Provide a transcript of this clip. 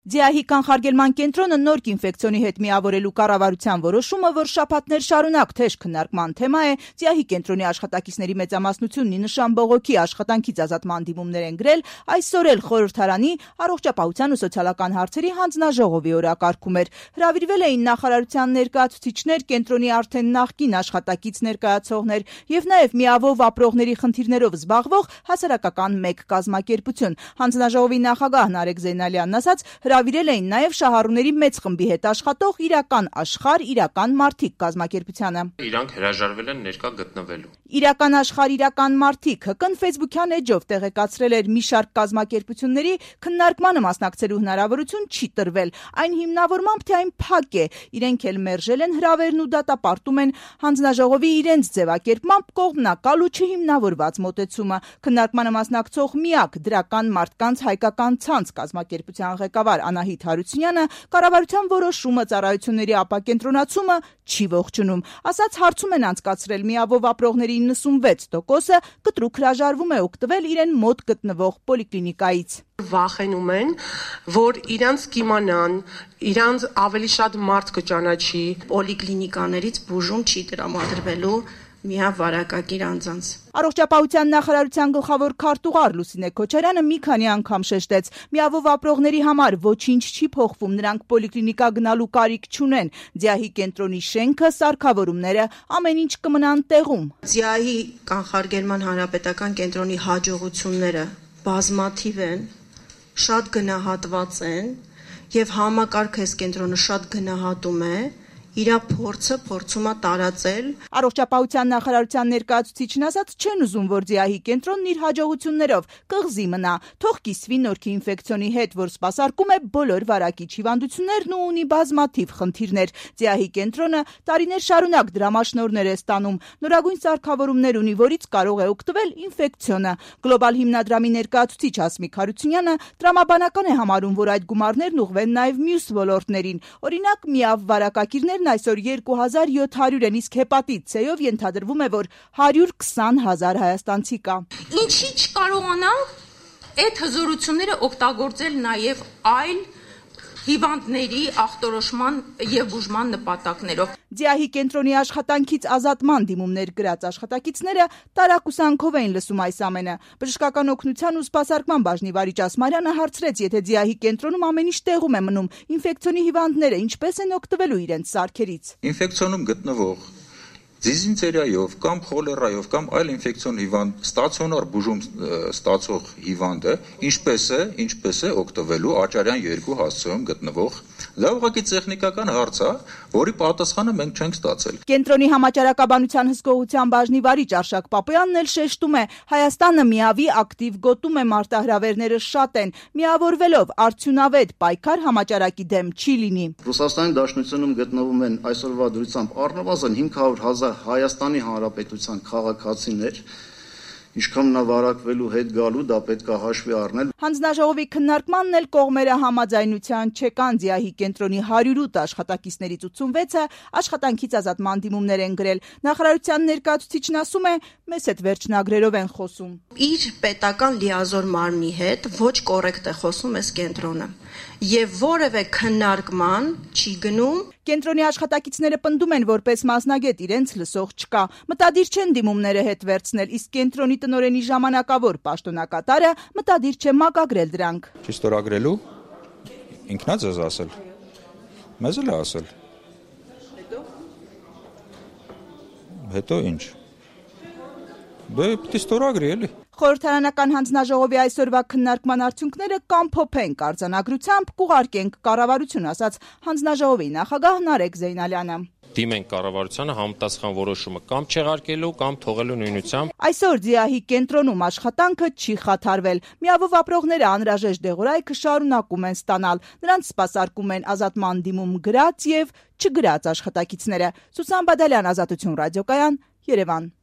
Ձիահի կանխարգելման կենտրոնը նորք ինֆեկցիոնի հետ միավորելու կառավարության որոշումը, որ շաբաթներ շարունակ թեժ քննարկման թեմա է, Ձիահի կենտրոնի աշխատակիցների մեծամասնությունն ի նշան բողոքի աշխատանքից ազատման դիմումներ են գրել, այսօր էլ խորհրդարանի առողջապահության ու սոցիալական հարցերի հանձնաժողովի օրակարգում էր։ Հրավիրվել էին նախարարության ներկայացուցիչներ, կենտրոնի արդեն նախկին աշխատակից ներկայացողներ եւ նաեւ միավով ապրողների խնդիրներով զբաղվող հասարակական մեկ կազմակերպություն։ Հանձնաժողովի նախագահ Նարեկ Զեյնալյանն ասաց, հրավիրել էին նաև շահառուների մեծ խմբի հետ աշխատող իրական աշխարհ, իրական մարդիկ կազմակերպությանը։ Իրանք հրաժարվել են ներկա գտնվելու։ Իրական աշխարհ, իրական մարդիկ ՀԿ-ն Facebook-յան էջով տեղեկացրել էր մի շարք կազմակերպությունների քննարկմանը մասնակցելու հնարավորություն չի տրվել։ Այն հիմնավորմամբ, թե այն փակ է, իրենք էլ մերժել են հրավերն ու դատապարտում են հանձնաժողովի իրենց ձևակերպմամբ կողմնակալ ու չհիմնավորված մոտեցումը։ Քննարկմանը մասնակցող միակ դրական մարդկանց հայկական ցանց կազմակերպության ղեկավար Անահիտ Հարությունյանը կառավարության որոշումը ծառայությունների ապակենտրոնացումը չի ողջունում։ Ասաց, հարցում են անցկացրել միավով ապրողների 96%-ը կտրուկ հրաժարվում է օգտվել իրեն մոտ գտնվող պոլիկլինիկայից։ Վախենում են, որ իրանց կիմանան, իրանց ավելի շատ մարդ կճանաչի, պոլիկլինիկաներից բուժում չի տրամադրվելու միավարակակիր անձանց։ Առողջապահության նախարարության գլխավոր քարտուղար Լուսինե Քոչարյանը մի քանի անգամ շեշտեց, միավով ապրողների համար ոչինչ չի փոխվում, նրանք պոլիկլինիկա գնալու կարիք չունեն։ Ձիահի կենտրոնի շենքը, սարքավորումները ամեն ինչ կմնան տեղում։ Ձիահի կանխարգելման հանրապետական կենտրոնի հաջողությունները բազմաթիվ են, շատ գնահատված են եւ համակարգ այս կենտրոնը շատ գնահատում է։ Իրա փորձը փորձում է տարածել։ Առողջապահության նախարարության ներկայացուցիչն ասաց, չեն ուզում, որ Ձիահի կենտրոնն իր հաջողություններով կղզի մնա, թող կիսվի նորքի ինֆեկցիոնի հետ, որ սպասարկում է բոլոր վարակիչ հիվանդություններն ու ունի բազմաթիվ խնդիրներ։ Ձիահի կենտրոնը տարիներ շարունակ դրամաշնորհներ է ստանում, նորագույն սարքավորումներ ունի, որից կարող է օգտվել ինֆեկցիոնը։ Գլոբալ հիմնադրամի ներկայացուցիչ Հասմիկ Հարությունյանը տրամաբանական է համարում, որ այդ գումարներն ուղղվեն նաև մյուս ոլորտներին։ Օրինակ, միավ վարակակիրներն այսօր 2700 են, իսկ հեպատիտ C-ով ենթադրվում է, որ 120,000 հայաստանցի կա։ Ինչի չկարողանանք այդ հզորությունները օգտագործել նաև այլ հիվանդների ախտորոշման եւ բուժման նպատակներով։ Ձիահի կենտրոնի աշխատանքից ազատման դիմումներ գրած աշխատակիցները տարակուսանքով էին լսում այս ամենը։ Բժշկական օգնության ու սպասարկման բաժնի վարիչ Ասմարյանը հարցրեց, եթե Ձիահի կենտրոնում ամեն ինչ տեղում է մնում, ինֆեկցիոնի հիվանդները ինչպես են օգտվելու իրենց սարքերից։ Ինֆեկցիոնում գտնվող դիզինտերիայով կամ խոլերայով կամ այլ ինֆեկցիոն հիվանդ ստացիոնար բուժում ստացող հիվանդը ինչպես է օգտվելու աճարյան 2 հասցեում գտնվող։ Դա ուղղակի տեխնիկական հարց է, որի պատասխանը մենք չենք ստացել։ Կենտրոնի համաճարակաբանության հսկողության բաժնի վարիչ Արշակ Պապոյանն էլ շեշտում է, Հայաստանը միավի ակտիվ գոտում է, մարտահրավերները շատ են, միավորվելով արդյունավետ պայքար համաճարակի դեմ չի լինի։ Ռուսաստանի Դաշնությունում գտնվում են այսօրվա դրությամբ առնվազն 500,000 Հայաստանի Հանրապետության քաղաքացիներ, ինչքան նա վարակվելու հետ գալու, դա պետք է հաշվի առնել։ Հանձնաժողովի քննարկմանն էլ կողմերը համաձայնության չեկան։ Ձիահի կենտրոնի 108 աշխատակիցներից 86-ը աշխատանքից ազատման դիմումներ են գրել։ Նախարարության ներկայացուցիչն ասում է, մեզ հետ վերջնագրերով են խոսում։ Իր պետական լիազոր մարմնի հետ ոչ կոռեկտ է խոսում այս կենտրոնը եւ որևէ քննարկման չի գնում։ Կենտրոնի աշխատակիցները պնդում են, որպես մասնագետ իրենց լսող չկա։ Մտադիր չեն դիմումները հետ վերցնել, իսկ կենտրոնի տնօրենի ժամանակավոր պաշտոնակատարը մտադիր չէ մակագրել դրանք։ Չստորագրելու ինքնա ձեզ ասել։ Մեզ էլ է ասել։ Հետո ինչ։ Դե պիտի ստորագրի էլի։ Խորհրդարանական հանձնաժողովի այսօրվա քննարկման արդյունքները կամփոփենք արձանագրությամբ, կուղարկենք կառավարություն, ասաց հանձնաժողովի նախագահ Նարեկ Զեյնալյանը։ Դիմենք կառավարությանը համապատասխան որոշումը կամ չեղարկելու կամ թողելու նույնությամբ։ Այսօր Ձիահի կենտրոնում աշխատանքը չի խաթարվել։ Միավով ապրողները անհրաժեշտ դեղորայքը շարունակում են ստանալ։ Նրանց սպասարկում են ազատման դիմում գրած եւ չգրած աշխատակիցները։ Սուսան Բադալյան, Ազատություն ռադիոկայան, Երևան։